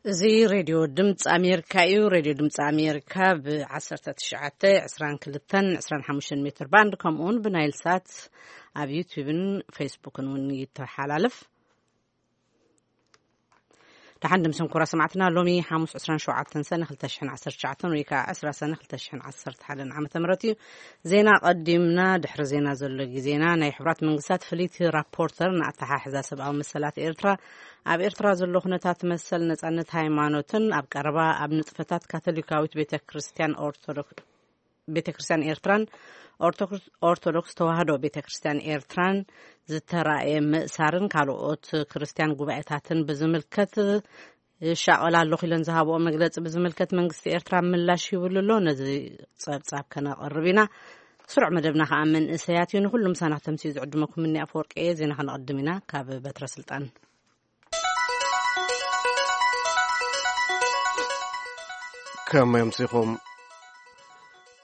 እዚ ሬድዮ ድምፂ ኣሜሪካ እዩ። ሬድዮ ድምፂ ኣሜሪካ ብ1922-25 ሜትር ባንድ፣ ከምኡውን ብናይል ሳት ኣብ ዩቲዩብን ፌስቡክን እውን ይተሓላለፍ። ደሓን ድምስን ኩራ ሰማዕትና፣ ሎሚ ሓሙስ 27 ሰነ 2019 ወይ ከዓ 10 ሰነ 2011 ዓመተ ምህረት እዩ። ዜና ቀዲምና። ድሕሪ ዜና ዘሎ ግዜና፣ ናይ ሕቡራት መንግስታት ፍልይቲ ራፖርተር ንኣተሓሕዛ ሰብኣዊ መሰላት ኤርትራ፣ ኣብ ኤርትራ ዘሎ ኩነታት መሰል ነጻነት ሃይማኖትን ኣብ ቀረባ ኣብ ንጥፈታት ካቶሊካዊት ቤተ ክርስቲያን ኦርቶዶክስ ቤተ ክርስቲያን ኤርትራን ኦርቶዶክስ ተዋህዶ ቤተ ክርስቲያን ኤርትራን ዝተራእየ ምእሳርን ካልኦት ክርስቲያን ጉባኤታትን ብዝምልከት ይሻቐል ኣለኹ ኢለን ዝሃብኦ መግለጺ ብዝምልከት መንግስቲ ኤርትራ ምላሽ ይብሉ ኣሎ። ነዚ ጸብጻብ ከነቕርብ ኢና። ስሩዕ መደብና ከኣ መንእሰያት እዩ። ንኹሉ ምሳና ክተምስዩ ዝዕድመኩም እኒ ኣፈወርቂ እየ። ዜና ከነቕድም ኢና። ካብ በትረ ስልጣን። ከመይ ኣምሲኹም?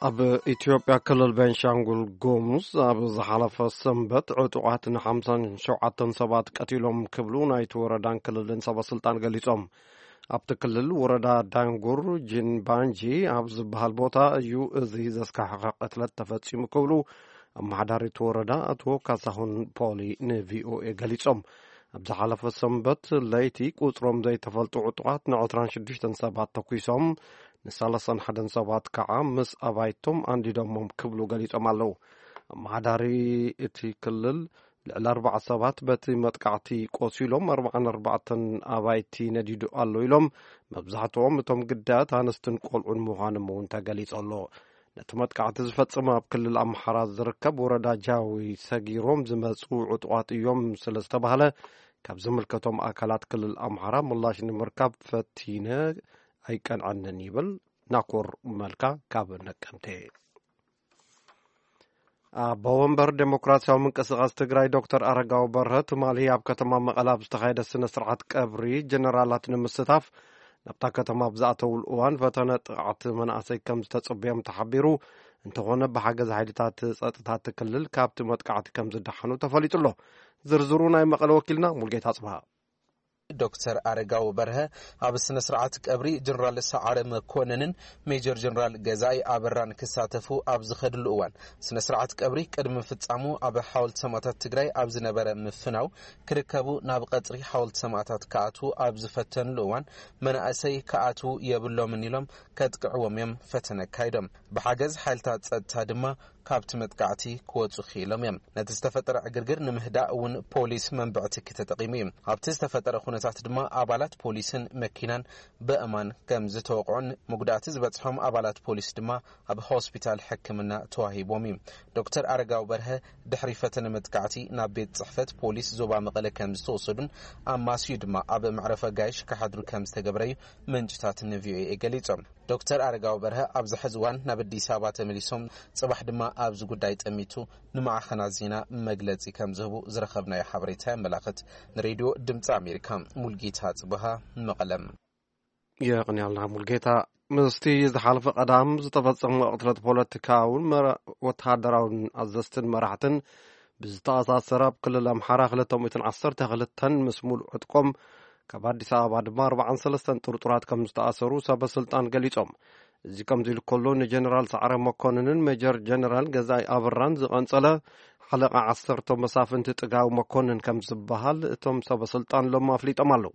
ኣብ ኢትዮጵያ ክልል ቤንሻንጉል ጉሙዝ ኣብ ዝሓለፈ ሰንበት ዕጡቓት ን57 ሰባት ቀቲሎም ክብሉ ናይቲ ወረዳን ክልልን ሰበ ስልጣን ገሊጾም። ኣብቲ ክልል ወረዳ ዳንጉር ጂንባንጂ ኣብ ዝበሃል ቦታ እዩ እዚ ዘስካሕኸ ቅትለት ተፈጺሙ ክብሉ ኣመሓዳሪ እቲ ወረዳ ኣቶ ካሳሁን ፖሊ ንቪኦኤ ገሊጾም። ኣብ ዝሓለፈ ሰንበት ለይቲ ቁጽሮም ዘይተፈልጡ ዕጡቓት ን26 ሰባት ተኲሶም፣ ን31 ሰባት ከዓ ምስ ኣባይቶም ኣንዲዶሞም ክብሉ ገሊጾም ኣለዉ። ኣመሓዳሪ እቲ ክልል ልዕሊ ኣርባዓ ሰባት በቲ መጥቃዕቲ ቆሲሎም፣ ኣርባዓን ኣርባዕተን ኣባይቲ ነዲዱ ኣሎ ኢሎም። መብዛሕትኦም እቶም ግዳያት ኣንስትን ቆልዑን ምዃኖም እውን ተገሊጹ ኣሎ። ነቲ መጥቃዕቲ ዝፈጸመ ኣብ ክልል ኣምሓራ ዝርከብ ወረዳ ጃዊ ሰጊሮም ዝመጹ ዕጡቓት እዮም ስለ ዝተባህለ፣ ካብ ዝምልከቶም ኣካላት ክልል ኣምሓራ ምላሽ ንምርካብ ፈቲነ ኣይቀንዐንን ይብል ናኮር መልካ ካብ ነቀምቴ። ኣቦ ወንበር ዴሞክራሲያዊ ምንቅስቓስ ትግራይ ዶክተር ኣረጋዊ በርሀ ትማሊ ኣብ ከተማ መቐለ ኣብ ዝተኻየደ ስነ ስርዓት ቀብሪ ጀነራላት ንምስታፍ ናብታ ከተማ ኣብ ዝኣተውሉ እዋን ፈተነ ጥቕዓት መናእሰይ ከም ዝተጽበዮም ተሓቢሩ። እንተኾነ ብሓገዝ ሓይልታት ጸጥታ እቲ ክልል ካብቲ መጥቃዕቲ ከም ዝደሓኑ ተፈሊጡ ኣሎ። ዝርዝሩ ናይ መቐለ ወኪልና ሙልጌታ ኣጽብሃ። ዶክተር ኣረጋዊ በርሀ ኣብ ስነ ስርዓት ቀብሪ ጀነራል ሰዓረ መኮነንን ሜጀር ጀነራል ገዛኢ ኣበራን ክሳተፉ ኣብ ዝኸድሉ እዋን፣ ስነ ስርዓት ቀብሪ ቅድሚ ምፍጻሙ ኣብ ሓወልቲ ሰማእታት ትግራይ ኣብ ዝነበረ ምፍናው ክርከቡ ናብ ቀጽሪ ሓወልቲ ሰማእታት ክኣትዉ ኣብ ዝፈተንሉ እዋን፣ መናእሰይ ክኣትዉ የብሎምን ኢሎም ከጥቅዕዎም እዮም ፈተነ ኣካይዶም። ብሓገዝ ሓይልታት ጸጥታ ድማ ካብቲ መጥቃዕቲ ክወጹ ክኢሎም እዮም። ነቲ ዝተፈጠረ ዕግርግር ንምህዳእ እውን ፖሊስ መንብዕቲ ተጠቒሙ እዩ። ኣብቲ ዝተፈጠረ ኩነታት ድማ ኣባላት ፖሊስን መኪናን በእማን ከም ዝተወቕዑን፣ መጉዳእቲ ዝበጽሖም ኣባላት ፖሊስ ድማ ኣብ ሆስፒታል ሕክምና ተዋሂቦም እዩ። ዶክተር ኣረጋዊ በርሀ ድሕሪ ፈተነ መጥቃዕቲ ናብ ቤት ጽሕፈት ፖሊስ ዞባ መቐለ ከም ዝተወሰዱን፣ ኣማስዩ ድማ ኣብ መዕረፊ ኣጋይሽ ክሓድሩ ከም ዝተገብረ እዩ ምንጭታት ንቪኦኤ ገሊጾም። ዶክተር ኣረጋዊ በርሀ ኣብዚ ሕዚ እዋን ናብ ኣዲስ ኣበባ ተመሊሶም፣ ጽባሕ ድማ ኣብዚ ጉዳይ ጠሚቱ ንማዕኸናት ዜና መግለጺ ከም ዝህቡ ዝረኸብናዮ ሓበሬታ የመላኽት። ንሬድዮ ድምፂ ኣሜሪካ፣ ሙልጌታ ጽብሃ፣ መቐለም። የቕንያልና ሙልጌታ። ምስቲ ዝሓለፈ ቀዳም ዝተፈጸመ ቅትለት ፖለቲካውን መራ-፣ ወተሃደራውን ኣዘዝትን መራሕትን ብዝተኣሳሰረ፣ ኣብ ክልል ኣምሓራ ክልተ ሚእትን ዓሰርተ ክልተን ምስ ሙሉእ ዕጥቆም፣ ካብ ኣዲስ ኣበባ ድማ ኣርባዓን ሰለስተን ጥርጡራት ከም ዝተኣሰሩ ሰበ ስልጣን ገሊጾም። እዚ ከምዚ ኢሉ ከሎ፣ ንጀነራል ሰዓረ መኮንንን ሜጀር ጀነራል ገዛኢ ኣበራን ዝቐንጸለ ሓለቓ ዓሰርተ መሳፍንቲ ጥጋዊ መኮንን ከም ዝበሃል እቶም ሰበ ስልጣን ሎም ኣፍሊጦም ኣለዉ።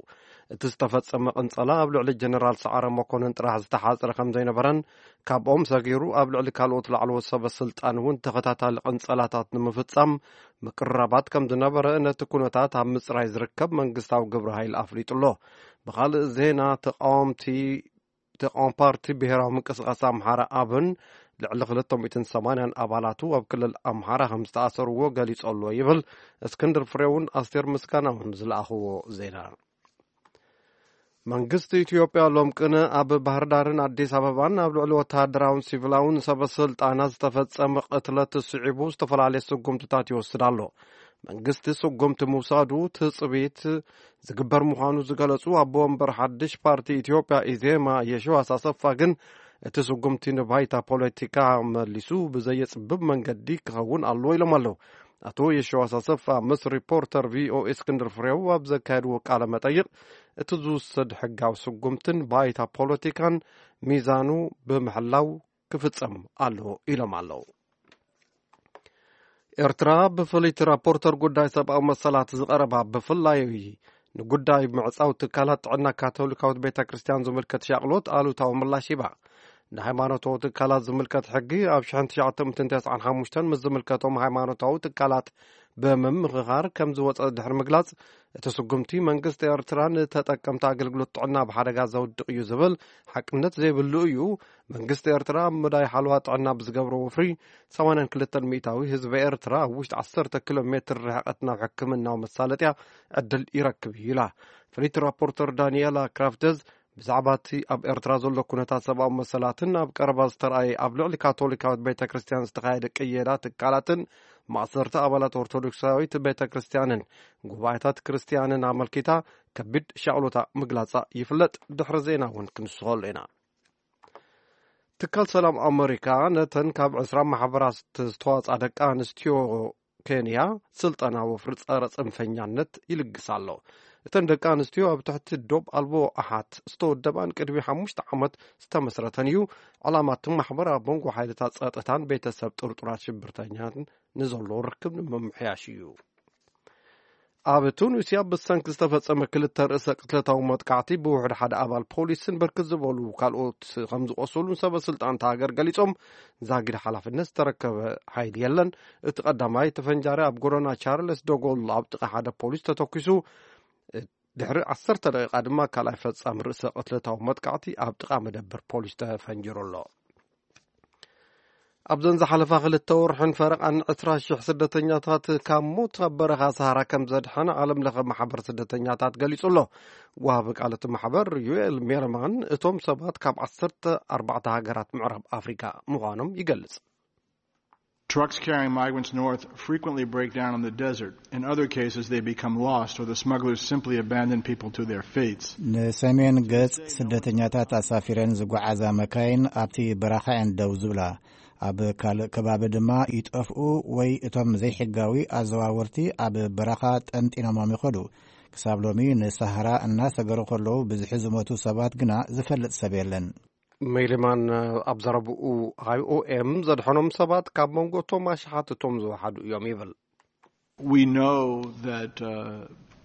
እቲ ዝተፈጸመ ቅንጸላ ኣብ ልዕሊ ጀነራል ሰዓረ መኮንን ጥራሕ ዝተሓጽረ ከም ዘይነበረን፣ ካብኦም ሰጊሩ ኣብ ልዕሊ ካልኦት ላዕለዎት ሰበ ስልጣን እውን ተኸታታሊ ቅንጸላታት ንምፍጻም ምቅርራባት ከም ዝነበረ ነቲ ኩነታት ኣብ ምጽራይ ዝርከብ መንግስታዊ ግብረ ሃይል ኣፍሊጡ ኣሎ። ብኻልእ ዜና፣ ተቃወምቲ ተቃዋሚ ፓርቲ ብሄራዊ ምንቅስቃስ ኣምሓራ ኣብን ልዕሊ ክልተ ሚእትን ሰማንያን ኣባላቱ ኣብ ክልል ኣምሓራ ከም ዝተኣሰርዎ ገሊጹ ኣሎ ይብል እስክንድር ፍሬውን ኣስቴር ምስጋናውን ዝለኣኽዎ ዜና። መንግስቲ ኢትዮጵያ ሎም ቅነ ኣብ ባህር ዳርን ኣዲስ ኣበባን ኣብ ልዕሊ ወተሃደራውን ሲቪላውን ሰበ ስልጣናት ዝተፈጸመ ቅትለት ስዒቡ ዝተፈላለየ ስጉምትታት ይወስድ ኣሎ። መንግስቲ ስጉምቲ ምውሳዱ ትጽቢት ዝግበር ምዃኑ ዝገለጹ ኣቦ ወንበር ሓድሽ ፓርቲ ኢትዮጵያ ኢዜማ የሽዋስ ኣሰፋ ግን፣ እቲ ስጉምቲ ንባይታ ፖለቲካ መሊሱ ብዘየጽብብ መንገዲ ክኸውን ኣለዎ ኢሎም ኣለዉ። ኣቶ የሽዋስ ኣሰፋ ምስ ሪፖርተር ቪኦኤ እስክንድር ፍሬው ኣብ ዘካየድዎ ቃለ መጠይቕ፣ እቲ ዝውሰድ ሕጋዊ ስጉምትን ባይታ ፖለቲካን ሚዛኑ ብምሕላው ክፍጸም ኣለዎ ኢሎም ኣለዉ። ኤርትራ ብፍልይቲ ራፖርተር ጉዳይ ሰብኣዊ መሰላት ዝቐረባ፣ ብፍላይ ንጉዳይ ምዕጻው ትካላት ጥዕና ካቶሊካዊት ቤተ ክርስቲያን ዝምልከት ሻቕሎት ኣሉታዊ ምላሽ ሂባ። ንሃይማኖታዊ ትካላት ዝምልከት ሕጊ ኣብ ሽሕን ትሽዓተ ሚእትን ተስዓን ሓሙሽተን ምስ ዝምልከቶም ሃይማኖታዊ ትካላት ብምምኽኻር ከም ዝወጸ ድሕሪ ምግላጽ፣ እቲ ስጉምቲ መንግስቲ ኤርትራ ንተጠቀምቲ ኣገልግሎት ጥዕና ኣብ ሓደጋ ዘውድቕ እዩ ዝብል ሓቅነት ዘይብሉ እዩ። መንግስቲ ኤርትራ ኣብ መዳይ ሓለዋ ጥዕና ብዝገብሮ ወፍሪ፣ ሰማንያን ክልተን ሚእታዊ ህዝቢ ኤርትራ ኣብ ውሽጢ ዓሰርተ ኪሎ ሜትር ርሕቀት ናብ ሕክምናዊ መሳለጥያ ዕድል ይረክብ እዩ ኢላ። ፍልይቲ ራፖርተር ዳንኤላ ክራፍተዝ ብዛዕባ እቲ ኣብ ኤርትራ ዘሎ ኩነታት ሰብኣዊ መሰላትን ኣብ ቀረባ ዝተራእየ ኣብ ልዕሊ ካቶሊካዊት ቤተ ክርስቲያን ዝተኻየደ ቅየዳ ትካላትን ማእሰርቲ ኣባላት ኦርቶዶክሳዊት ቤተ ክርስቲያንን ጉባኤታት ክርስቲያንን ኣመልኪታ ከቢድ ሻቕሎታ ምግላጻ ይፍለጥ። ድሕሪ ዜና እውን ክንስኸሉ ኢና። ትካል ሰላም ኣመሪካ ነተን ካብ ዕስራ ማሕበራት ዝተዋጻ ደቂ ኣንስትዮ ኬንያ ስልጠና ወፍሪ ጸረ ጽንፈኛነት ይልግስ ኣሎ። እተን ደቂ ኣንስትዮ ኣብ ትሕቲ ዶብ ኣልቦ ኣሓት ዝተወደባን ቅድሚ ሓሙሽተ ዓመት ዝተመስረተን እዩ። ዕላማ እቲ ማሕበር ኣብ መንጎ ሓይልታት ጸጥታን ቤተሰብ ጥርጡራት ሽብርተኛን ንዘሎ ርክብ ንምምሕያሽ እዩ። ኣብ ቱኒስያ ብሰንኪ ዝተፈጸመ ክልተ ርእሰ ቅትለታዊ መጥቃዕቲ ብውሕድ ሓደ ኣባል ፖሊስን ብርክት ዝበሉ ካልኦት ከም ዝቆሰሉን ሰበ ስልጣን እታ ሃገር ገሊጾም፣ ዛጊድ ሓላፍነት ዝተረከበ ሓይሊ የለን። እቲ ቀዳማይ ተፈንጃሪ ኣብ ጎደና ቻርለስ ደጎል ኣብ ጥቓ ሓደ ፖሊስ ተተኲሱ። ድሕሪ ዓሰርተ ደቂቃ ድማ ካልኣይ ፈጻሚ ርእሰ ቅትለታዊ መጥቃዕቲ ኣብ ጥቓ መደበር ፖሊስ ተፈንጂሩ ኣሎ። ኣብዘን ዝሓለፋ ክልተ ወርሕን ፈረቓን ዕስራ ሽሕ ስደተኛታት ካብ ሞት ኣብ በረኻ ሰሃራ ከም ዘድሐነ ዓለም ለኸ ማሕበር ስደተኛታት ገሊጹ ኣሎ። ወሃቢ ቃል እቲ ማሕበር ዩኤል ሜርማን፣ እቶም ሰባት ካብ ዓሰርተ ኣርባዕተ ሃገራት ምዕራብ ኣፍሪካ ምዃኖም ይገልጽ። Trucks carrying migrants north frequently break down in the desert. In other cases, they become lost, or the smugglers simply abandon people to their fates. ንሰሜን ገጽ ስደተኛታት ኣሳፊረን ዝጓዓዛ መካይን ኣብቲ በረኻ እየን ደው ዝብላ። ኣብ ካልእ ከባቢ ድማ ይጠፍኡ ወይ እቶም ዘይሕጋዊ ኣዘዋወርቲ ኣብ በረኻ ጠንጢኖሞም ይኸዱ። ክሳብ ሎሚ ንሳሃራ እናሰገሩ ከለዉ ብዝሒ ዝሞቱ ሰባት ግና ዝፈልጥ ሰብ የለን። ሜሊማን ኣብ ዘረብኡ፣ ኣይኦኤም ዘድሐኖም ሰባት ካብ መንጎ እቶም ኣሽሓት እቶም ዝወሓዱ እዮም ይብል። We know that uh,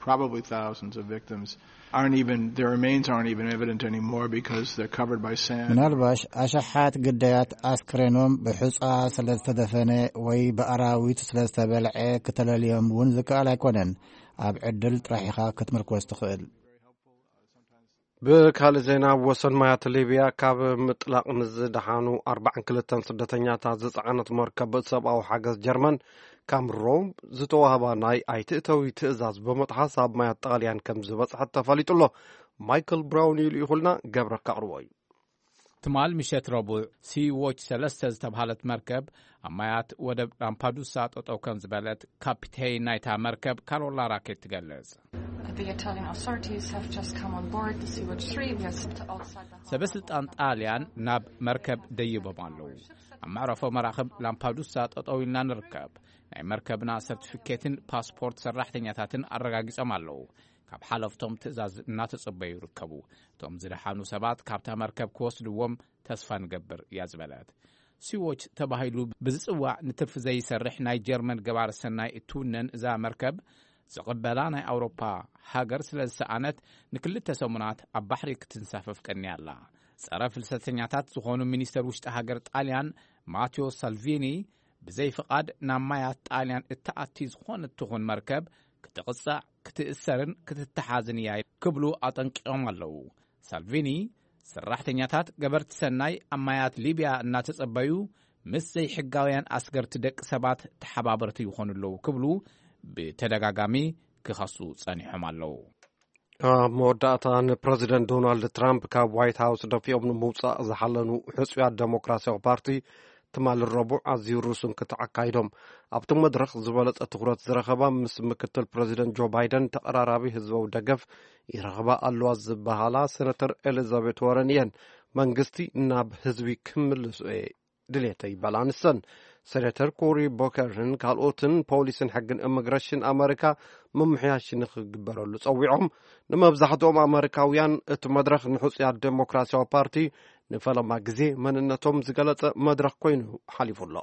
probably thousands of victims aren't even, their remains aren't even evident anymore because they're covered by sand. ምናልባሽ ኣሽሓት ግዳያት ኣስክሬኖም ብሑጻ ስለ ዝተደፈነ ወይ ብኣራዊት ስለ ዝተበልዐ ክተለልዮም እውን ዝከኣል ኣይኮነን። ኣብ ዕድል ጥራሕ ኢኻ ክትምርኮስ ትኽእል። ብካልእ ዜና፣ ኣብ ወሰን ማያት ሊብያ ካብ ምጥላቕ ንዝደሓኑ ኣርባዓን ክልተን ስደተኛታት ዝጸዓነት መርከብ ሰብኣዊ ሓገዝ ጀርመን ካብ ሮም ዝተዋህባ ናይ ኣይትእተዊ ትእዛዝ ብምጥሓስ ኣብ ማያት ጣልያን ከም ዝበጽሐት ተፈሊጡ ኣሎ። ማይክል ብራውን እዩ ልኢኹልና፣ ገብረ ከቕርቦ እዩ። ትማል ምሸት ረቡዕ፣ ሲዎች ሰለስተ ዝተብሃለት መርከብ ኣብ ማያት ወደብ ላምፓዱሳ ጠጠው ከም ዝበለት ካፒቴን ናይታ መርከብ ካሮላ ራኬት ትገልጽ። The Italian authorities have just come on board the Sea-Watch three. We are sitting outside the ሰበ ስልጣን ጣልያን ናብ መርከብ ደይቦም ኣለዉ። ኣብ መዕረፎ መራኽብ ላምፓዱሳ ጠጠው ኢልና ንርከብ። ናይ መርከብና ሰርቲፊኬትን ፓስፖርት ሰራሕተኛታትን ኣረጋጊጾም ኣለዉ። ካብ ሓለፍቶም ትእዛዝ እናተጸበዩ ይርከቡ። እቶም ዝደሓኑ ሰባት ካብታ መርከብ ክወስድዎም ተስፋ ንገብር እያ ዝበለት። ሲዎች ተባሂሉ ብዝጽዋዕ ንትርፊ ዘይሰርሕ ናይ ጀርመን ገባር ሰናይ እትውነን እዛ መርከብ፣ ዝቕበላ ናይ ኣውሮፓ ሃገር ስለ ዝሰኣነት፣ ንክልተ ሰሙናት ኣብ ባሕሪ ክትንሳፈፍ ቀንያ ኣላ። ጸረ ፍልሰተኛታት ዝኾኑ ሚኒስተር ውሽጢ ሃገር ጣልያን ማቴዎ ሳልቪኒ፣ ብዘይ ፍቓድ ናብ ማያት ጣልያን እትኣቲ ዝኾነት ትኹን መርከብ ክትቕጻዕ፣ ክትእሰርን ክትተሓዝን እያ ክብሉ ኣጠንቂቖም ኣለዉ። ሳልቪኒ፣ ሰራሕተኛታት ገበርቲ ሰናይ ኣብ ማያት ሊብያ እናተጸበዩ ምስ ዘይሕጋውያን ኣስገርቲ ደቂ ሰባት ተሓባበርቲ ይኾኑ ኣለዉ ክብሉ ብተደጋጋሚ ክኸሱ ጸኒሖም ኣለዉ። ኣብ መወዳእታ፣ ንፕረዚደንት ዶናልድ ትራምፕ ካብ ዋይት ሃውስ ደፊኦም ንምውጻእ ዝሓለኑ ሕጹያት ዴሞክራሲያዊ ፓርቲ ትማሊ ረቡዕ ኣዝዩ ርሱን ክትዓካይዶም ኣብቲ መድረኽ ዝበለጸ ትኹረት ዝረኸባ ምስ ምክትል ፕረዚደንት ጆ ባይደን ተቐራራቢ ህዝባዊ ደገፍ ይረኽባ ኣለዋ ዝበሃላ ሴነተር ኤሊዛቤት ዋረን እየን። መንግስቲ ናብ ህዝቢ ክምልሱ እየ ድሌተይ ይበላ ንሰን። ሴነተር ኮሪ ቦከርን ካልኦትን ፖሊስን ሕግን ኢሚግሬሽን ኣመሪካ ምምሕያሽ ንክግበረሉ ጸዊዖም። ንመብዛሕትኦም ኣመሪካውያን እቲ መድረኽ ንሕጹያት ዴሞክራሲያዊ ፓርቲ ንፈለማ ግዜ መንነቶም ዝገለጸ መድረኽ ኮይኑ ሓሊፉ ኣሎ።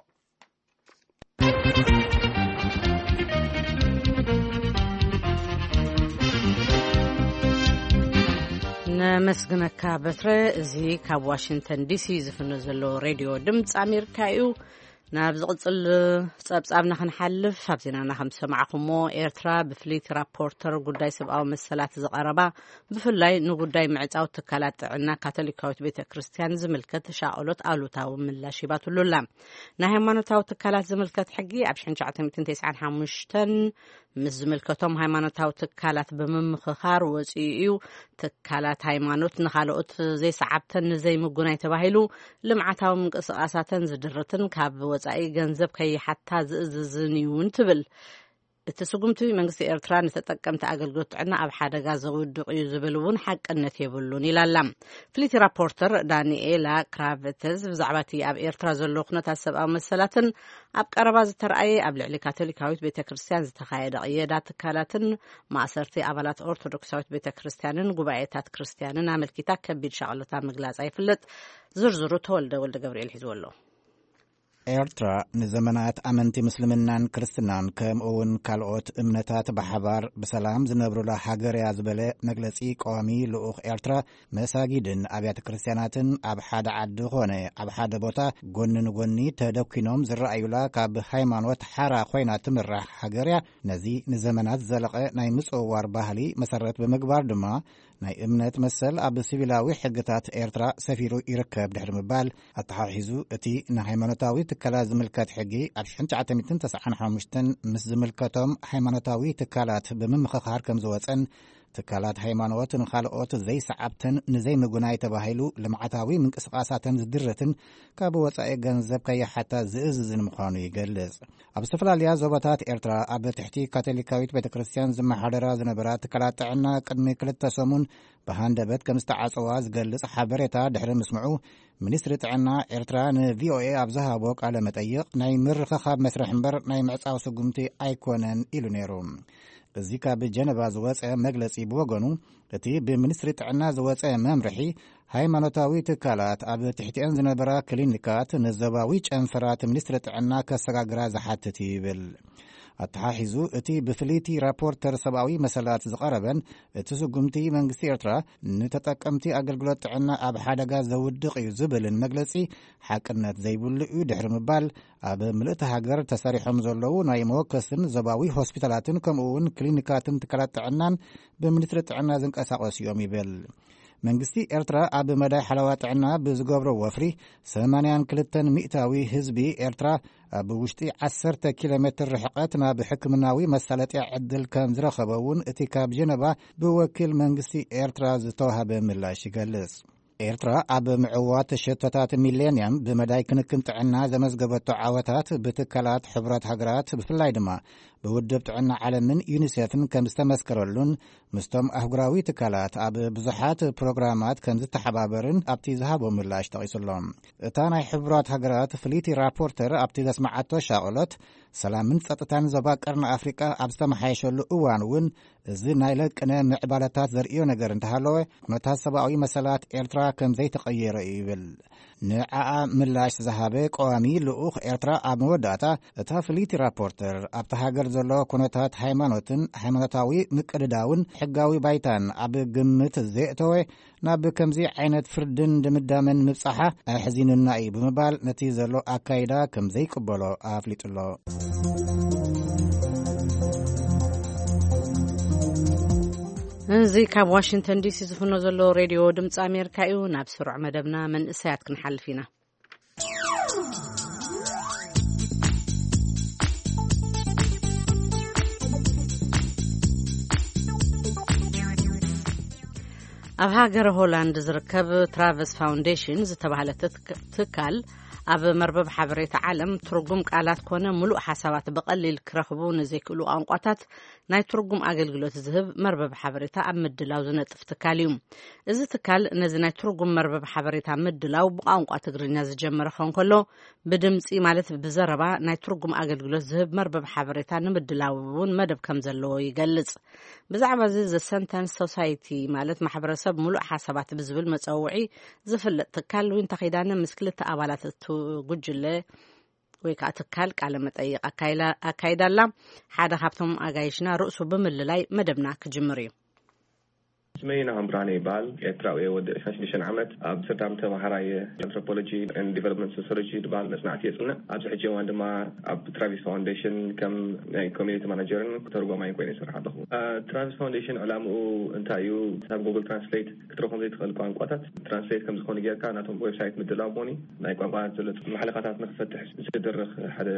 ነመስግነካ በትረ። እዚ ካብ ዋሽንግተን ዲሲ ዝፍኖ ዘሎ ሬድዮ ድምፂ ኣሜሪካ እዩ። ናብ ዝቕፅል ፀብፃብና ክንሓልፍ፣ ኣብ ዜናና ከም ዝሰማዕኹሞ፣ ኤርትራ ብፍልይቲ ራፖርተር ጉዳይ ሰብኣዊ መሰላት ዝቐረባ፣ ብፍላይ ንጉዳይ ምዕፃው ትካላት ጥዕና ካቶሊካዊት ቤተ ክርስቲያን ዝምልከት ሻቕሎት ኣሉታዊ ምላሽ ሂባትሉ ኣላ። ናይ ሃይማኖታዊ ትካላት ዝምልከት ሕጊ ኣብ ሽሕን ትሽዓተ ሚእትን ተስዓን ሓሙሽተን ምስ ዝምልከቶም ሃይማኖታዊ ትካላት ብምምኽኻር ወፂኡ እዩ። ትካላት ሃይማኖት ንኻልኦት ዘይሰዓብተን ንዘይምጉናይ ተባሂሉ ልምዓታዊ ምንቅስቓሳተን ዝድርትን ካብ ወፃኢ ገንዘብ ከይሓታ ዝእዝዝን እዩን ትብል። እቲ ስጉምቲ መንግስቲ ኤርትራ ንተጠቀምቲ ኣገልግሎት ጥዕና ኣብ ሓደጋ ዘውድቕ እዩ ዝብል እውን ሓቅነት የብሉን ኢላላ። ፍሊቲ ራፖርተር ዳንኤላ ክራቨተዝ ብዛዕባ እቲ ኣብ ኤርትራ ዘሎ ኩነታት ሰብኣዊ መሰላትን ኣብ ቀረባ ዝተረኣየ ኣብ ልዕሊ ካቶሊካዊት ቤተ ክርስቲያን ዝተኻየደ ቅየዳ ትካላትን ማእሰርቲ ኣባላት ኦርቶዶክሳዊት ቤተ ክርስቲያንን ጉባኤታት ክርስቲያንን ኣመልኪታ ከቢድ ሻቕሎታ ምግላጻ ይፍለጥ። ዝርዝሩ ተወልደ ወልደ ገብርኤል ሒዝዎ ኣሎ። ኤርትራ ንዘመናት ኣመንቲ ምስልምናን ክርስትናን ከምኡ እውን ካልኦት እምነታት ብሓባር ብሰላም ዝነብሩላ ሃገር እያ ዝበለ መግለጺ ቀዋሚ ልኡኽ ኤርትራ፣ መሳጊድን ኣብያተ ክርስቲያናትን ኣብ ሓደ ዓዲ ኾነ ኣብ ሓደ ቦታ ጎኒ ንጎኒ ተደኪኖም ዝረኣዩላ ካብ ሃይማኖት ሓራ ኮይና ትምራሕ ሃገር እያ። ነዚ ንዘመናት ዝዘለቐ ናይ ምጽውዋር ባህሊ መሰረት ብምግባር ድማ ናይ እምነት መሰል ኣብ ሲቪላዊ ሕግታት ኤርትራ ሰፊሩ ይርከብ ድሕሪ ምባል ኣተሓሒዙ፣ እቲ ንሃይማኖታዊ ትካላት ዝምልከት ሕጊ ኣብ ሽሕን ትሽዓተ ሚእትን ተስዓን ሓሙሽተን ምስ ዝምልከቶም ሃይማኖታዊ ትካላት ብምምኽኻር ከም ዝወጸን፣ ትካላት ሃይማኖት ንኻልኦት ዘይሰዓብተን ንዘይምጉናይ ተባሂሉ ልምዓታዊ ምንቅስቓሳተን ዝድርትን ካብ ወጻኢ ገንዘብ ከይሓታ ዝእዝዝን ምዃኑ ይገልጽ። ኣብ ዝተፈላለያ ዞባታት ኤርትራ ኣብ ትሕቲ ካቶሊካዊት ቤተ ክርስቲያን ዝመሓደራ ዝነበራ ትካላት ጥዕና ቅድሚ ክልተ ሰሙን ብሃንደበት ከም ዝተዓጸዋ ዝገልጽ ሓበሬታ ድሕሪ ምስምዑ፣ ሚኒስትሪ ጥዕና ኤርትራ ንቪኦኤ ኣብ ዝሃቦ ቃለ መጠይቕ፣ ናይ ምርኽኻብ መስርሕ እምበር ናይ ምዕጻው ስጉምቲ ኣይኮነን ኢሉ ነይሩ። እዚ ካብ ጀነቫ ዝወጸ መግለጺ ብወገኑ፣ እቲ ብሚኒስትሪ ጥዕና ዝወጸ መምርሒ፣ ሃይማኖታዊ ትካላት ኣብ ትሕቲአን ዝነበራ ክሊኒካት ንዞባዊ ጨንፈራት ሚኒስትሪ ጥዕና ከሰጋግራ ዝሓትት እዩ ይብል። ኣተሓሒዙ፣ እቲ ብፍልይቲ ራፖርተር ሰብኣዊ መሰላት ዝቐረበን እቲ ስጉምቲ መንግስቲ ኤርትራ ንተጠቀምቲ ኣገልግሎት ጥዕና ኣብ ሓደጋ ዘውድቕ እዩ ዝብልን መግለጺ ሓቅነት ዘይብሉ እዩ ድሕሪ ምባል፣ ኣብ ምልእቲ ሃገር ተሰሪሖም ዘለዉ ናይ መወከስን ዞባዊ ሆስፒታላትን ከምኡ እውን ክሊኒካትን ትካላት ጥዕናን ብሚኒስትሪ ጥዕና ዝንቀሳቐሱ እዮም ይብል። መንግስቲ ኤርትራ ኣብ መዳይ ሓለዋ ጥዕና ብዝገብሮ ወፍሪ ሰማንያን ክልተን ሚእታዊ ህዝቢ ኤርትራ ኣብ ውሽጢ ዓሰርተ ኪሎ ሜትር ርሕቀት ናብ ሕክምናዊ መሳለጥያ ዕድል ከም ዝረኸበ እውን እቲ ካብ ጀነቫ ብወኪል መንግስቲ ኤርትራ ዝተዋህበ ምላሽ ይገልጽ። ኤርትራ ኣብ ምዕዋት ሸቶታት ሚሌንያም ብመዳይ ክንክን ጥዕና ዘመዝገበቶ ዓወታት ብትካላት ሕቡራት ሃገራት ብፍላይ ድማ ብውድብ ጥዕና ዓለምን ዩኒሴፍን ከም ዝተመስከረሉን ምስቶም ኣህጉራዊ ትካላት ኣብ ብዙሓት ፕሮግራማት ከም ዝተሓባበርን ኣብቲ ዝሃቦ ምላሽ ጠቒሱ ኣሎ። እታ ናይ ሕቡራት ሃገራት ፍልይቲ ራፖርተር ኣብቲ ዘስመዓቶ ሻቕሎት፣ ሰላምን ጸጥታን ዞባ ቀርኒ ኣፍሪቃ ኣብ ዝተመሓየሸሉ እዋን እውን እዚ ናይ ለቅነ ምዕባለታት ዘርእዮ ነገር እንተሃለወ፣ ኩነታት ሰብኣዊ መሰላት ኤርትራ ከም ዘይተቐየረ እዩ ይብል። ንዓኣ ምላሽ ዝሃበ ቀዋሚ ልኡኽ ኤርትራ ኣብ መወዳእታ፣ እታ ፍልይቲ ራፖርተር ኣብቲ ሃገር ዘሎ ኩነታት ሃይማኖትን ሃይማኖታዊ ምቅድዳውን ሕጋዊ ባይታን ኣብ ግምት ዘየእተወ፣ ናብ ከምዚ ዓይነት ፍርድን ድምዳመን ምብጻሓ ኣሕዚኑና እዩ ብምባል ነቲ ዘሎ ኣካይዳ ከም ዘይቅበሎ ኣፍሊጡ ኣሎ። እዚ ካብ ዋሽንግተን ዲሲ ዝፍኖ ዘሎ ሬድዮ ድምፂ ኣሜሪካ እዩ። ናብ ስሩዕ መደብና መንእሰያት ክንሓልፍ ኢና። ኣብ ሃገረ ሆላንድ ዝርከብ ትራቨስ ፋውንዴሽን ዝተባህለ ትክ- ትካል ኣብ መርበብ ሓበሬታ ዓለም ትርጉም ቃላት ኮነ ምሉእ ሓሳባት ብቐሊል ክረኽቡ ንዘይክእሉ ቋንቋታት ናይ ትርጉም ኣገልግሎት ዝህብ መርበብ ሓበሬታ ኣብ ምድላው ዝነጥፍ ትካል እዩ። እዚ ትካል ነዚ ናይ ትርጉም መርበብ ሓበሬታ ምድላው ብቋንቋ ትግርኛ ዝጀመረ ከንከሎ፣ ብድምጺ ማለት ብዘረባ ናይ ትርጉም ኣገልግሎት ዝህብ መርበብ ሓበሬታ ንምድላው እውን መደብ ከም ዘለዎ ይገልጽ። ብዛዕባ እዚ ዘ ሰንተንስ ሶሳይቲ ማለት ማሕበረሰብ ምሉእ ሓሳባት ብዝብል መጸውዒ ዝፍለጥ ትካል ዊንታ ኪዳነ ምስ ክልተ ኣባላት እቲ ጉጅለ ወይ ከዓ ትካል ቃለ መጠይቕ ኣካይዳ ኣላ። ሓደ ካብቶም ኣጋይሽና ርእሱ ብምልላይ መደብና ክጅምር እዩ። ስመይ ናሆም ብርሃነ ይበሃል። ኤርትራዊ እየ። ወዲ ዕስራን ሽዱሽተን ዓመት ኣብ ኣምስተርዳም ተምሃራይ ኣንትሮፖሎጂ ኤንድ ዲቨሎፕመንት ሶሲዮሎጂ ዝበሃል መጽናዕቲ የጽንዕ። ኣብዚ ሕጂ እዋን ድማ ኣብ ትራቪስ ፋውንዴሽን ከም ናይ ኮሚኒቲ ማናጀርን ተርጓማይን ኮይነ ይሰርሕ ኣለኹ። ትራቪስ ፋውንዴሽን ዕላምኡ እንታይ እዩ? ናብ ጉግል ትራንስሌት ክትረኽቦም ዘይትኽእል ቋንቋታት ትራንስሌት ከም ዝኾነ ጌርካ ናቶም ዌብሳይት ምድላው ሞኒ ናይ ቋንቋ ዘሎ ማሕለኻታት ንክፈትሕ ዝድርኽ ሓደ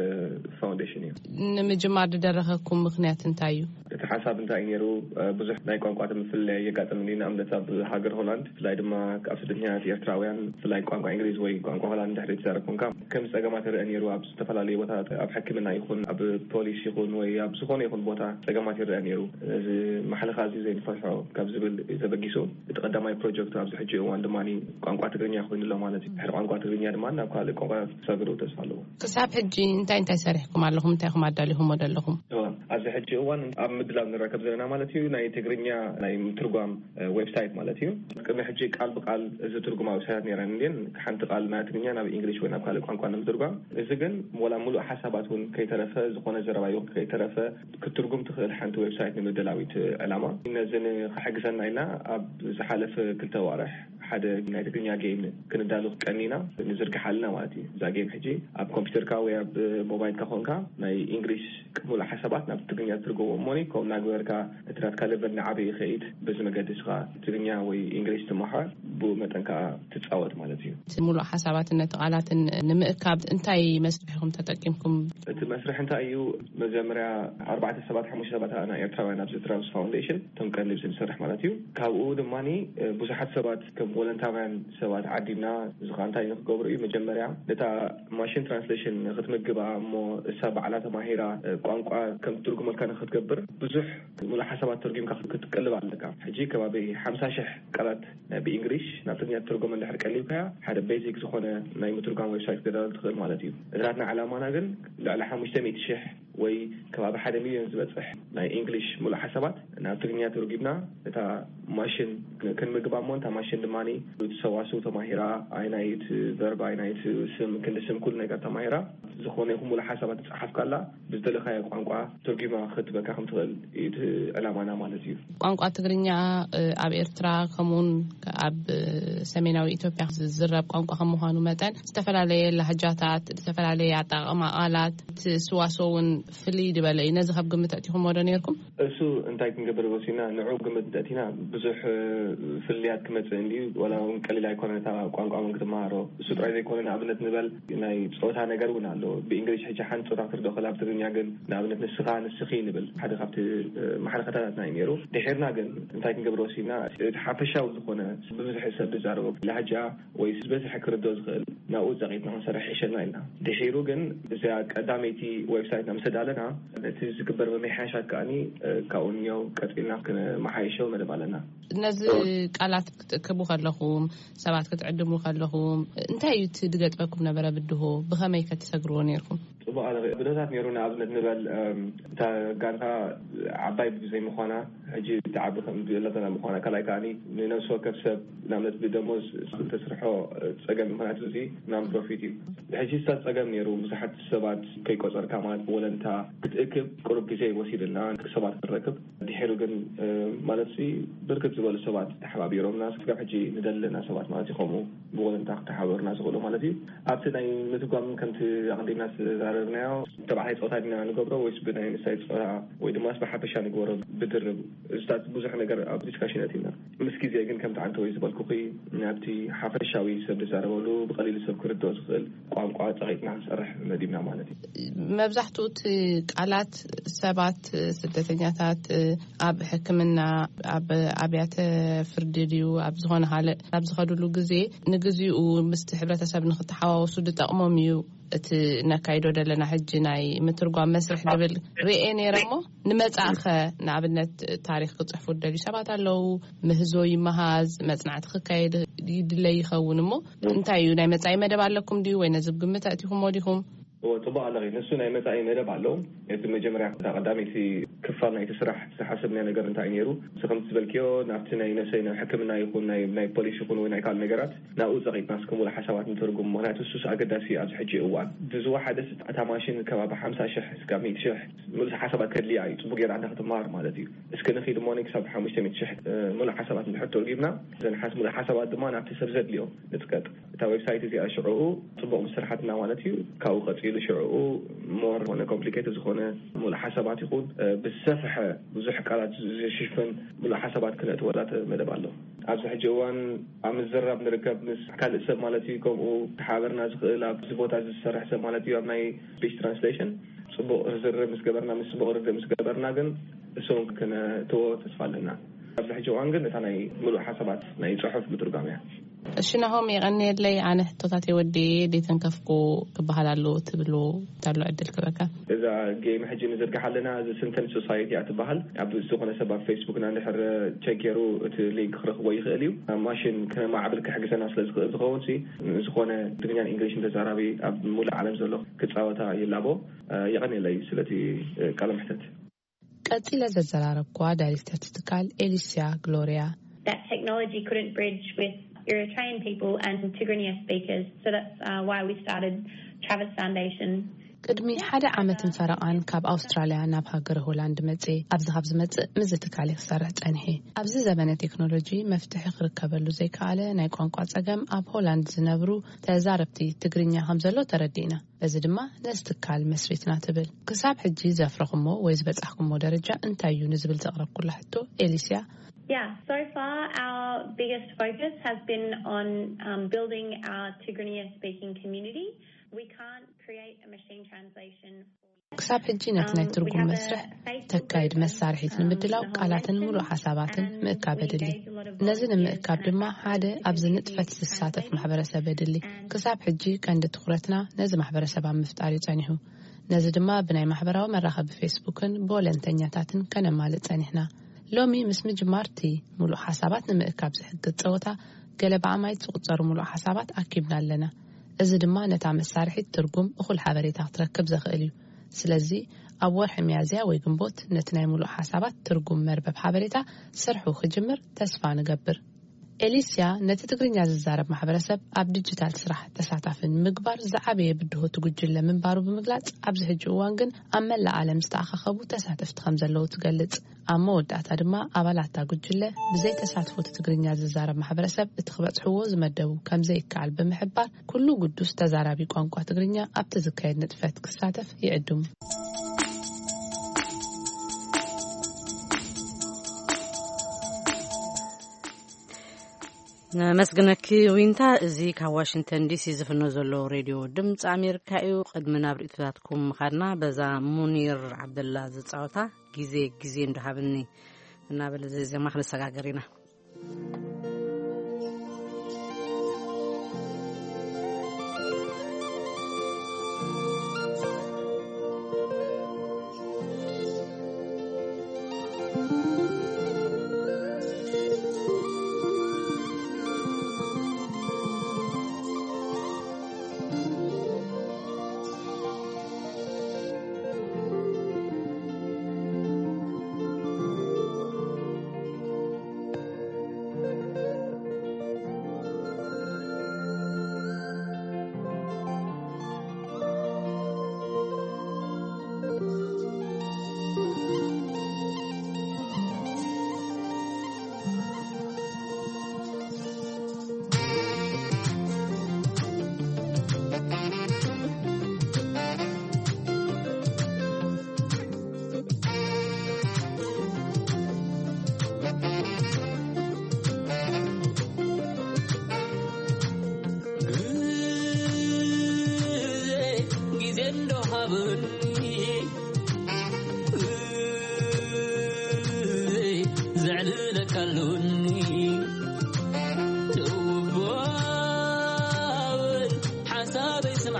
ፋውንዴሽን እዩ። ንምጅማር ዝደረኸኩም ምኽንያት እንታይ እዩ? እቲ ሓሳብ እንታይ እዩ ነይሩ? ብዙሕ ናይ ቋንቋ ምፍልላይ የጋጥም። ንኣብነት ኣብ ሃገር ሆላንድ ብፍላይ ድማ ኣብ ስደተኛታት ኤርትራውያን ብፍላይ ቋንቋ እንግሊዝ ወይ ቋንቋ ሆላንድ ድሕሪ ትዛረብ ኮንካ ከም ጸገማት ይረአ ነይሩ። ኣብ ዝተፈላለዩ ቦታታት ኣብ ሕክምና ይኹን ኣብ ፖሊስ ይኹን ወይ ኣብ ዝኾነ ይኹን ቦታ ጸገማት ይረአ ነይሩ። እዚ ማሕለኻ እዚ ዘይንፈትሖ ካብ ዝብል ተበጊሱ እቲ ቀዳማይ ፕሮጀክት ኣብዚ ሕጂ እዋን ድማ ቋንቋ ትግርኛ ኮይኑ ኣሎ ማለት እዩ። ድሕሪ ቋንቋ ትግርኛ ድማ ናብ ካልእ ቋንቋ ክሰግሩ ተስፋ ኣለዎ። ክሳብ ሕጂ እንታይ እንታይ ሰሪሕኩም ኣለኹም? እንታይ ኢኹም ኣዳሊኹሞ ዘለኹም? እዋ፣ ኣብዚ ሕጂ እዋን ኣብ ምድላው ንረከብ ዘለና ማለት እዩ። ናይ ትግርኛ ናይ ምትርጓም ዌብሳይት ማለት እዩ። ቅድሚ ሕጂ ቃል ብቃል እዚ ትርጉማ ዌብሳይት ነይረን እንድን ሓንቲ ቃል ናይ ትግርኛ ናብ እንግሊሽ ወይ ናብ ካልእ ቋንቋ ንምትርጓም። እዚ ግን ወላ ሙሉእ ሓሳባት እውን ከይተረፈ ዝኾነ ዘረባ ይኹን ከይተረፈ ክትርጉም ትኽእል ሓንቲ ዌብሳይት ንምድላዊት ዕላማ ነዚ ንክሕግዘና ኢልና ኣብ ዝሓለፈ ክልተ ዋርሕ ሓደ ናይ ትግርኛ ጌም ክንዳሉ ቀኒና ንዝርግሓልና ማለት እዩ። እዛ ጌም ሕጂ ኣብ ኮምፒውተርካ ወይ ኣብ ሞባይልካ ኮንካ ናይ እንግሊሽ ሙሉእ ሓሳባት ናብ ትግርኛ ትርጎሞ እሞኒ ከምኡ እናግበርካ እቲ ናትካ ለቨል ንዓበ ይኸይድ። በዚ መገዲ ስኻ ትግርኛ ወይ እንግሊሽ ትመሓር ብኡ መጠን ከዓ ትፃወት ማለት እዩ። እቲ ሙሉእ ሓሳባትን ነቲ ቃላትን ንምእካብ እንታይ መስርሕ ኢኹም ተጠቂምኩም? እቲ መስርሕ እንታይ እዩ? መጀመርያ ኣርባዕተ ሰባት ሓሙሽተ ሰባት ኣና ኤርትራውያን ኣብዚ ትራንስ ፋውንዴሽን እቶም ቀንዲ ዝሰርሕ ማለት እዩ። ካብኡ ድማ ብዙሓት ሰባት ከም ወለንታውያን ሰባት ዓዲምና እዚ ከዓ እንታይ ንክገብሩ እዩ? መጀመርያ ነታ ማሽን ትራንስሌሽን ንክትምግባ እሞ እሳ ባዕላ ተማሂራ ቋንቋ ከም ትርጉመልካ ንክትገብር ብዙሕ ሙሉእ ሓሳባት ተርጊምካ ክትቅልብ ኣለካ። ሕጂ ከባቢ ሓምሳ ሽሕ ቃላት ብእንግሊሽ ናብ ትግርኛ ትርጎመ እንድሕር ቀሊብካያ ሓደ ቤዚክ ዝኾነ ናይ ምትርጓም ዌብሳይት ክዳሉ ትኽእል ማለት እዩ። እድራትና ዓላማና ግን ልዕሊ ሓሙሽተ ሚእቲ ሽሕ ወይ ከባቢ ሓደ ሚልዮን ዝበፅሕ ናይ እንግሊሽ ሙሉእ ሓሳባት ናብ ትግርኛ ተርጊምና እታ ማሽን ክንምግባ እሞ እታ ማሽን ድማ ሰዋስው ተማሂራ ኣይናይት ቨርብ ኣይናይት ስም ክንዲ ስም ኩሉ ነገር ተማሂራ ዝኾነ ይኹን ሙሉእ ሓሳባት ትፅሓፍ ካላ ብዝደለኻዮ ቋንቋ ተርጊማ ክትበካ ከም ትኽእል እዩ እቲ ዕላማና ማለት እዩ። ቋንቋ ትግርኛ ኣብ ኤርትራ ከምኡውን ኣብ ሰሜናዊ ኢትዮጵያ ዝዝረብ ቋንቋ ከም ምዃኑ መጠን ዝተፈላለየ ላህጃታት፣ ዝተፈላለየ ኣጠቃቅማ ቃላት፣ እቲ ስዋስው እውን ፍልይ ዝበለ እዩ። ነዚ ካብ ግምት ኣእቲኹምዎ ዶ ነይርኩም? እሱ እንታይ ክንገብር ወሲና ንዑ ግምት እንተእቲና ብዙሕ ፍልልያት ክመፅእ እንድዩ። ዋላ እውን ቀሊል ኣይኮነን እታ ቋንቋ እውን ክትመሃሮ። እሱ ጥራይ ዘይኮነ ንኣብነት ንበል ናይ ፆታ ነገር እውን ኣሎ። ብእንግሊሽ ሕጂ ሓንቲ ፆታ ክትርድኦ ከላ ኣብ ትግርኛ ግን ንኣብነት ንስኻ ንስኺ ንብል ሓደ ካብቲ ማሕለኸታታትና እዩ ነይሩ። ድሒርና ግን እንታይ ክንገብር ወሲና እቲ ሓፈሻዊ ዝኾነ ብብዝሒ ሰብ ዝዛረቦ ላህጃ ወይ ዝበዝሐ ክርድኦ ዝኽእል ናብኡ ጸቒጥና ክንሰርሕ ይሕሸና ኢልና። ድሒሩ ግን እዚኣ ቀዳመይቲ ዌብሳይትና ምስ ኣዳለና ነቲ ዝግበር ምምሕያሻት ከኣኒ ካብኡ እኒኦ ቀጺልና ክነመሓይሾ መደብ ኣለና። ነዚ ቃላት ክትእክቡ ከለኹም ሰባት ክትዕድሙ ከለኹም እንታይ እዩ እቲ ዝገጥመኩም ነበረ ብድሆ? ብኸመይ ከ ትሰግርዎ ነይርኩም? ጽቡቕ ኣሎ። ብድሆታት ነይሩ። ንኣብነት ንበል እታ ጋንታ ዓባይ ብዘይ ምዃና ሕጂ ትዓቢ ከም ዘለተና ምዃና ካልኣይ ከኣኒ ንነብሲ ወከፍ ሰብ ንኣብነት ብደሞዝ ተስርሖ ጸገም ምኽንያቱ እዚ ናን ፕሮፊት እዩ። ሕጂ እሳ ጸገም ነይሩ። ብዙሓት ሰባት ከይቆጸርካ ማለት ብወለንታ ክትእክብ ቅሩብ ግዜ ይወሲድልና ሰባት ክንረክብ ድሒሩ ግን ማለት ሲ ብርክት ዝበሉ ሰባት ተሓባቢሮምና ስጋብ ሕጂ ንደለና ሰባት ማለት እዩ። ከምኡ ብወለንታ ክተሓበሩና ዝኽእሉ ማለት እዩ። ኣብቲ ናይ ምትጓም ከምቲ ኣቐዲምና ዝተዛረ ናዮ ተባዕታይ ፆታ ዲና ንገብሮ ወይስ ብናይ ኣንስታይ ፆታ ወይ ድማ ብሓፈሻ ንግበሮ ብድርብ? እዚታት ብዙሕ ነገር ኣብ ዲስካሽን ኣቲና። ምስ ግዜ ግን ከምቲ ዓንተ ወይ ዝበልኩኺ ናብቲ ሓፈሻዊ ሰብ ዝዛረበሉ ብቐሊሉ ሰብ ክርድኦ ዝኽእል ቋንቋ ጸቒጥና ክንሰርሕ መዲብና ማለት እዩ። መብዛሕትኡ እቲ ቃላት ሰባት፣ ስደተኛታት፣ ኣብ ሕክምና፣ ኣብ ኣብያተ ፍርዲ ድዩ ኣብ ዝኾነ ካልእ ኣብ ዝኸድሉ ግዜ ንግዚኡ ምስቲ ሕብረተሰብ ንክተሓዋወሱ ዝጠቕሞም እዩ። እቲ ነካይዶ ዘለና ሕጂ ናይ ምትርጓም መስርሕ ድብል ርኤ ነይረ እሞ፣ ንመጻእኸ ንኣብነት ታሪኽ ክጽሕፉ ደልዩ ሰባት ኣለዉ። ምህዞ ይመሃዝ፣ መጽናዕቲ ክካየድ ይድለ ይኸውን እሞ፣ እንታይ እዩ ናይ መጻኢ መደብ ኣለኩም ድዩ ወይ ነዚ ግምት ኣእቲኹሞ ዲኹም? እዎ፣ ጽቡቕ ኣለኺ። ንሱ ናይ መጻኢ መደብ ኣሎ። እቲ መጀመርያ እታ ቀዳመይቲ ክፋል ናይቲ ስራሕ ዝሓሰብናዮ ነገር እንታይ እዩ ነይሩ? እዚ ከምቲ ዝበልክዮ ናብቲ ናይ ነሰይ ናይ ሕክምና ይኹን ናይ ናይ ፖሊስ ይኹን ወይ ናይ ካልእ ነገራት ናብኡ ጸቒጥና እስከ ሙሉእ ሓሳባት ንተርጉም። ምኽንያቱ እሱስ ኣገዳሲ እዩ ኣብዚ ሕጂ እዋን። ብዝወሓደ እታ ማሽን ከባቢ ሓምሳ ሽሕ እስካብ ሚእቲ ሽሕ ሙሉእ ሓሳባት ከድልያ እዩ። ጽቡቕ ጌራ እንዳ ክትመሃር ማለት እዩ። እስከ ንኺድ እሞ ክሳብ ሓሙሽተ ሚእቲ ሽሕ ሙሉእ ሓሳባት እንድሕር ተርጉምና፣ እዘን ሓስ-፣ ሙሉእ ሓሳባት ድማ ናብቲ ሰብ ዘድልዮ ንጥቀጥ። እታ ዌብሳይት እዚኣ ሽዕኡ ጽቡቕ ምስ ስርሓትና ማለት እዩ። ካብኡ ቀጺሉ ሽዕኡ ሞር ዝኾነ ኮምፕሊኬትድ ዝኾነ ሙሉእ ሓሳባት ይኹን፣ እ፣ ብዝሰፍሐ ብዙሕ ቃላት ዝሽፍን ሙሉእ ሓሳባት ክነእትወላ መደብ ኣሎ። ኣብዚ ሕጂ እዋን ኣብ ምዝራብ ንርከብ ምስ ካልእ ሰብ ማለት እዩ። ከምኡ ክሓበርና ዝኽእል ኣብዚ ቦታ እዚ ዝሰርሕ ሰብ ማለት እዩ። ኣብ ናይ ስፒች ትራንስሌሽን ጽቡቕ ርዝርብ ምስ ገበርና፣ ምስ ጽቡቕ ርድእ ምስ ገበርና ግን እሱ እውን ክነእትዎ ተስፋ ኣለና። ኣብዚ ሕጂ እዋን ግን እታ ናይ ሙሉእ ሓሳባት ናይ ጽሑፍ ምትርጓም እያ። እሺ ናሆም፣ የቐንየለይ። ኣነ ሕቶታት የወዲኤ ደይተንከፍኩ ክበሃል ኣለዎ ትብሉ እንተሎ ዕድል ክበካ። እዛ ጌም ሕጂ ንዝርግሓ ኣለና፣ እዚ ስንተን ሶሳይቲ እያ ትበሃል። ኣብ ዝኾነ ሰብ ኣብ ፌስቡክና እንድሕር ቸክ ገይሩ እቲ ሊንክ ክረኽቦ ይኽእል እዩ። ኣብ ማሽን ክነማዕብል ክሕግዘና ስለ ዝኽእል ዝኸውን ሲ፣ ዝኾነ ትግርኛን እንግሊሽን ተዛራቢ ኣብ ሙሉእ ዓለም ዘሎ ክጻወታ ይላቦ። የቐንየለይ ስለቲ ቃለ መሕተት። ቀጺለ ዘዘራረብኩዋ ዳይሬክተር እቲ ትካል ኤሊስያ ግሎርያ። That technology couldn't bridge with Eritrean people and Tigrinya speakers. So that's uh, why we started Travis Foundation. ቅድሚ ሓደ ዓመትን ፈረቓን ካብ ኣውስትራልያ ናብ ሃገረ ሆላንድ መጽእ። ኣብዚ ካብ ዝመጽእ ምስዚ ትካል ክሰርሕ ጸኒሐ። ኣብዚ ዘበነ ቴክኖሎጂ መፍትሒ ክርከበሉ ዘይከኣለ ናይ ቋንቋ ጸገም ኣብ ሆላንድ ዝነብሩ ተዛረብቲ ትግርኛ ከም ዘሎ ተረዲእና። በዚ ድማ ነዚ ትካል መስሪትና ትብል። ክሳብ ሕጂ ዘፍረኹሞ ወይ ዝበጻሕኩሞ ደረጃ እንታይ እዩ ንዝብል ዘቕረብኩላ ሕቶ ኤሊስያ፣ Yeah, so far our biggest focus has been on um, building our Tigrinya speaking community. We can't create a machine translation. ክሳብ ሕጂ ነቲ ናይ ትርጉም መስርሕ ተካይድ መሳርሒት ንምድላው ቃላትን ሙሉእ ሓሳባትን ምእካብ የድሊ። ነዚ ንምእካብ ድማ ሓደ ኣብዚ ንጥፈት ዝሳተፍ ማሕበረሰብ የድሊ። ክሳብ ሕጂ ቀንዲ ትኹረትና ነዚ ማሕበረሰብ ኣብ ምፍጣር እዩ ጸኒሑ። ነዚ ድማ ብናይ ማሕበራዊ መራኸቢ ፌስቡክን ብወለንተኛታትን ከነማልእ ጸኒሕና። ሎሚ ምስ ምጅማር እቲ ሙሉእ ሓሳባት ንምእካብ ዝሕግዝ ጸወታ ገለ ብኣማይት ዝቑጸሩ ሙሉእ ሓሳባት ኣኪብና ኣለና። እዚ ድማ ነታ መሳርሒት ትርጉም እኹል ሓበሬታ ክትረክብ ዘኽእል እዩ። ስለዚ ኣብ ወርሒ ሚያዝያ ወይ ግንቦት ነቲ ናይ ሙሉእ ሓሳባት ትርጉም መርበብ ሓበሬታ ስርሑ ክጅምር ተስፋ ንገብር። ኤሊስያ ነቲ ትግርኛ ዝዛረብ ማሕበረሰብ ኣብ ዲጂታል ስራሕ ተሳታፊ ንምግባር ዝዓበየ ብድሆ እቲ ጉጅለ ምንባሩ ብምግላጽ፣ ኣብዚ ሕጂ እዋን ግን ኣብ መላእ ዓለም ዝተኣኻኸቡ ተሳተፍቲ ከም ዘለዉ ትገልጽ። ኣብ መወዳእታ ድማ ኣባላት እታ ጉጅለ ብዘይ ተሳትፎ እቲ ትግርኛ ዝዛረብ ማሕበረሰብ እቲ ክበጽሕዎ ዝመደቡ ከም ዘይከኣል ብምሕባር፣ ኩሉ ግዱስ ተዛራቢ ቋንቋ ትግርኛ ኣብቲ ዝካየድ ንጥፈት ክሳተፍ ይዕድሙ። ነመስግነኪ ዊንታ። እዚ ካብ ዋሽንግተን ዲሲ ዝፍኖ ዘሎ ሬድዮ ድምፂ ኣሜሪካ እዩ። ቅድሚ ናብ ርእቶታትኩም ምኻድና፣ በዛ ሙኒር ዓብደላ ዝፃወታ ግዜ ግዜ እንዶ ሃብኒ እናበለ ዘ-፣ ዜማ ክንሰጋገር ኢና።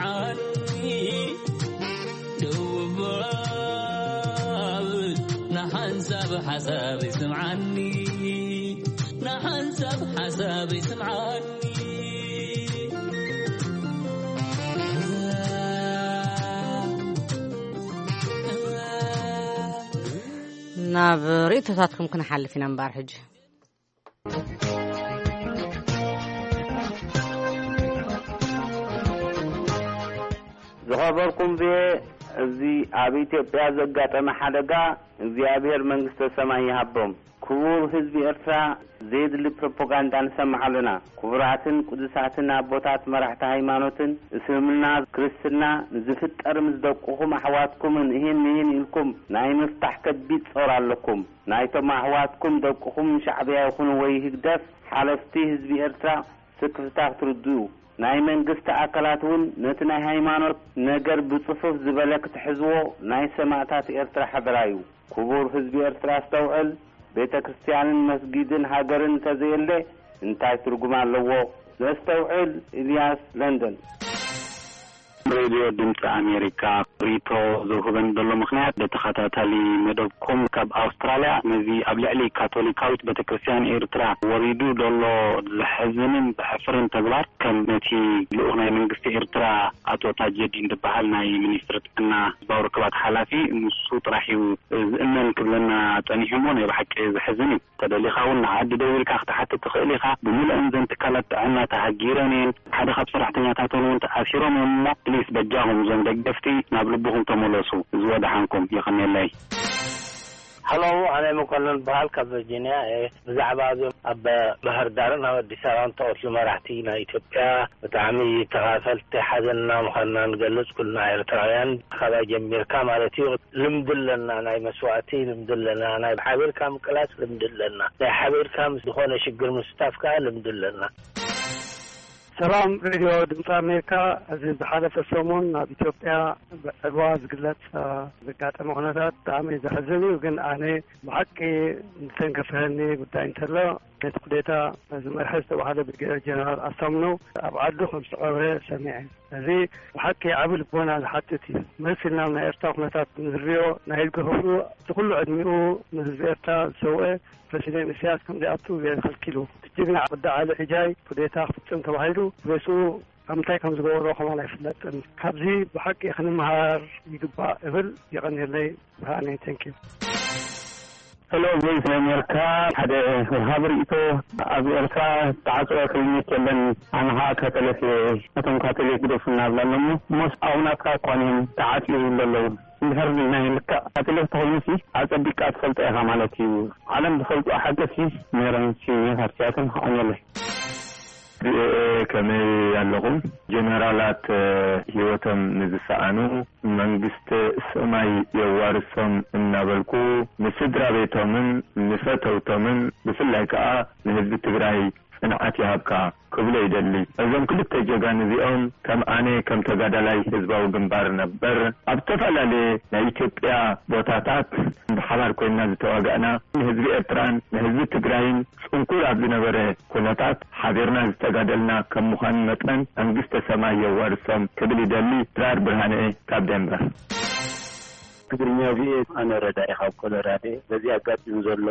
ዓኒ ደው በል፣ ንሓንሳብ ሓሳብ ይስምዓኒ፣ ንሓንሳብ ሓሳብ ይስምዓኒ። ናብ ርእይቶታትኩም ክንሓልፍ ኢና እምበኣር ሕጂ። ዝኸበርኩም ቪኦኤ፣ እዚ ኣብ ኢትዮጵያ ዘጋጠመ ሓደጋ እግዚኣብሔር መንግስተ ሰማይ ይሃቦም። ክቡር ህዝቢ ኤርትራ፣ ዘየድሊ ፕሮፓጋንዳ ንሰምዕ ኣለና። ክቡራትን ቅዱሳትን ኣቦታት መራሕቲ ሃይማኖትን፣ እስልምና፣ ክርስትና፣ ንዝፍጠር ምስ ደቅኹም ኣሕዋትኩምን እሂን ምሂን ኢልኩም ናይ ምፍታሕ ከቢድ ጾር ኣለኩም። ናይቶም ኣሕዋትኩም ደቅኹም ሻዕብያ ይኹኑ ወይ ህግደፍ ሓለፍቲ ህዝቢ ኤርትራ ስክፍታ ክትርድኡ፣ ናይ መንግስቲ ኣካላት እውን ነቲ ናይ ሃይማኖት ነገር ብጽፉፍ ዝበለ ክትሕዝዎ ናይ ሰማእታት ኤርትራ ሓደራ እዩ። ክቡር ህዝቢ ኤርትራ ኣስተውዕል፣ ቤተ ክርስቲያንን መስጊድን ሃገርን እንተዘየለ እንታይ ትርጉም ኣለዎ? ነስተውዕል። ኢልያስ ለንደን። ሬድዮ ድምፂ ኣሜሪካ ሪቶ ዝውህበን ዘሎ ምኽንያት ብተኸታታሊ መደብኩም ካብ ኣውስትራልያ ነዚ ኣብ ልዕሊ ካቶሊካዊት ቤተክርስትያን ኤርትራ ወሪዱ ዘሎ ዘሕዝንን ዘሕፍርን ተግባር ከም ነቲ ልኡኽ ናይ መንግስቲ ኤርትራ ኣቶ ታጀዲን ዝበሃል ናይ ሚኒስትሪ ጥዕና ህዝባዊ ርክባት ሓላፊ ንሱ ጥራሕ እዩ ዝእመን ክብለና ጸኒሑ እሞ ናይ ብሓቂ ዘሕዝን እዩ። ተደሊኻ እውን ንዓዲ ደዊልካ ክትሓትት ትኽእል ኢኻ። ብምሉእን ዘን ትካላት ጥዕና ተሃጊረን እየን። ሓደ ካብ ሰራሕተኛታተን እውን ተኣሲሮም እዮም እሞ ፕሊስ በጃኹም እዞም ደገፍቲ ናብ ልብኹም ተመለሱ። እዚ ወደሓንኩም የቐንየለይ። ሃሎ፣ ኣነ መኮንን በሃል ካብ ቨርጂኒያ እየ። ብዛዕባ እዞም ኣብ ባህር ዳርን ኣብ ኣዲስ ኣበባን ተቐትሉ መራሕቲ ናይ ኢትዮጵያ ብጣዕሚ ተኻፈልቲ ሓዘንና ምዃንና ንገልጽ ኩልና ኤርትራውያን። ካባይ ጀሚርካ ማለት እዩ። ልምዲ ኣለና፣ ናይ መስዋእቲ ልምዲ ኣለና፣ ናይ ሓቢርካ ምቅላስ ልምዲ ኣለና፣ ናይ ሓቢርካ ምስ ዝኾነ ሽግር ምስታፍ ከዓ ልምዲ ኣለና። ሰላም ሬድዮ ድምፂ ኣሜሪካ። እዚ ዝሓለፈ ሰሙን ኣብ ኢትዮጵያ ብዕልዋ ዝግለፅ ዘጋጠመ ኩነታት ብጣዕሚ ዘሕዝን እዩ። ግን ኣነ ብሓቂ ዝተንከፈኒ ጉዳይ እንተሎ ነቲ ኩዴታ ዝመርሐ ዝተባሃለ ብርጌደር ጀነራል ኣሳምነው ኣብ ዓዱ ከም ዝተቐብረ ሰሚዐ። እዚ ብሓቂ ዓቢ ልቦና ዝሓትት እዩ። መስ ኢልና ናይ ኤርትራ ኩነታት ንዝሪኦ ናይ ህዝቢ ክብሩ እቲ ኩሉ ዕድሚኡ ንህዝቢ ኤርትራ ዝሰውአ ፕረሲደንት ኢሳያስ ከምዚኣቱ ገይሩ ከልኪሉ። እቲ ጅግና ወዲ ዓሊ ዕጃይ ኩዴታ ክፍጽም ተባሂሉ ሬስኡ ኣብ ምንታይ ከም ዝገበሮ ከማን ኣይፍለጥን። ካብዚ ብሓቂ ክንምሃር ይግባእ እብል። የቐንየለይ። ብርሃነይ። ቴንኪዩ። ሄሎ፣ ቮይስ ኣሜሪካ። ሓደ ወሃቢ ርእይቶ፣ ኣብ ኤርትራ ተዓጽወ ክሊኒክ የለን። ኣነ ኸዓ ካቶሊክ እየ። ነቶም ካቶሊክ ግደፉ እናብላ ኣለሞ። እሞስ ኣቡናትካ እኳ እዮም ተዓጽዩ ይብሉ ኣለዉ። እንድሕር ናይ ልክዕ ካቶሊክ ተኾይኑሲ ኣጸቢቕካ ትፈልጦ ኢኻ ማለት እዩ። ዓለም ዝፈልጦ ሓቂ ሲ ነይረን ሲ ፋርሲያትን ኸኾን የለን። ቪኦኤ ከመይ ኣለኹም? ጀነራላት ህይወቶም ንዝሰኣኑ መንግስተ ሰማይ የዋርሶም እናበልኩ ንስድራ ቤቶምን ንፈተውቶምን ብፍላይ ከኣ ንህዝቢ ትግራይ ጽንዓት ይሃብካ ክብሎ ይደሊ። እዞም ክልተ ጀጋን እዚኦም ከም ኣነ ከም ተጋዳላይ ህዝባዊ ግንባር ነበር ኣብ ዝተፈላለየ ናይ ኢትዮጵያ ቦታታት ብሓባር ኮይንና ዝተዋጋእና ንህዝቢ ኤርትራን ንህዝቢ ትግራይን ጽንኩር ኣብ ዝነበረ ኩነታት ሓቢርና ዝተጋደልና ከም ምዃኑ መጠን መንግስተ ሰማይ የዋርሶም ክብል ይደሊ። ድራር ብርሃነ ካብ ደንበር። ትግርኛ ቪኦኤ። ኣነ ረዳኢ ካብ ኮሎራዶ። በዚ ኣጋጢሙ ዘሎ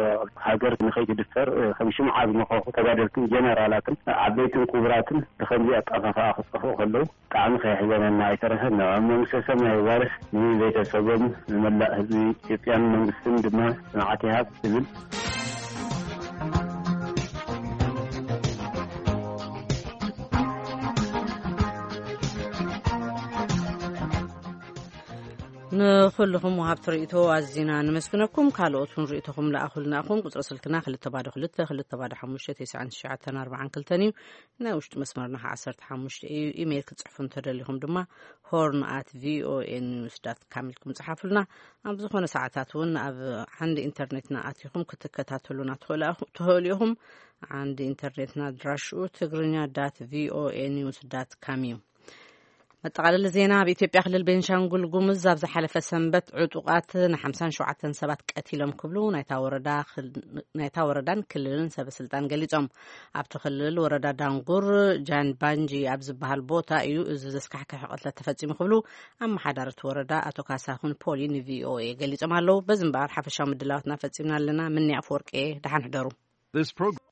ሃገር ንኸይትድፈር ከም ሽምዓ ዝመኸኹ ተጋደልትን ጀነራላትን ዓበይትን ክቡራትን ብኸምዚ ኣጠፋፍኣ ክጠፍኡ ከለዉ ብጣዕሚ ከየሕዘነና ኣይተረፈን። ኣብ መንግስተ ሰማይ ይዋርስ፣ ንቤተሰቦም ንመላእ ህዝቢ ኢትዮጵያን መንግስትን ድማ ጽንዓት ይሃብ እብል። ንኹልኹም ወሃብቲ ርእይቶ ኣዚና ንመስግነኩም። ካልኦት እውን ርእይቶኹም ለኣኹልና ኢኹም። ቁጽሪ ስልክና ክልተ ባዶ ክልተ፣ ክልተ ባዶ ሓሙሽተ፣ ተስዓን ትሽዓተን ኣርባዓን ክልተን እዩ። ናይ ውሽጢ መስመርና ኸዓ ዓሰርተ ሓሙሽተ እዩ። ኢሜይል ክትጽሕፉ እንተደሊኹም ድማ ሆርን ኣት ቪኦኤ ኒውስ ዳት ካም ኢልኩም ጽሓፉልና። ኣብ ዝኾነ ሰዓታት እውን ኣብ ዓንዲ ኢንተርኔትና ኣቲኹም ክትከታተሉና ትኽእሉ ኣኹ-፣ ትኽእሉ ኢኹም። ዓንዲ ኢንተርኔትና ኣድራሽኡ ትግርኛ ዳት ቪኦኤ ኒውስ ዳት ካም እዩ። መጠቓለሊ ዜና። ኣብ ኢትዮጵያ ክልል ቤንሻንጉል ጉሙዝ ኣብ ዝሓለፈ ሰንበት ዕጡቓት ን57 ሰባት ቀቲሎም ክብሉ ናይታ ወረዳ ክል-፣ ናይታ ወረዳን ክልልን ሰበ ስልጣን ገሊጾም። ኣብቲ ክልል ወረዳ ዳንጉር ጃንባንጂ ኣብ ዝበሃል ቦታ እዩ እዚ ዘስካሕክሐ ቅትለት ተፈጺሙ ክብሉ ኣመሓዳሪ እቲ ወረዳ ኣቶ ካሳሁን ፖሊ ንቪኦኤ ገሊጾም ኣለዉ። በዚ እምበኣር ሓፈሻዊ ምድላዋትና ፈጺምና ኣለና። ምኒ ኣፈወርቂ፣ ደሓን ሕደሩ። This program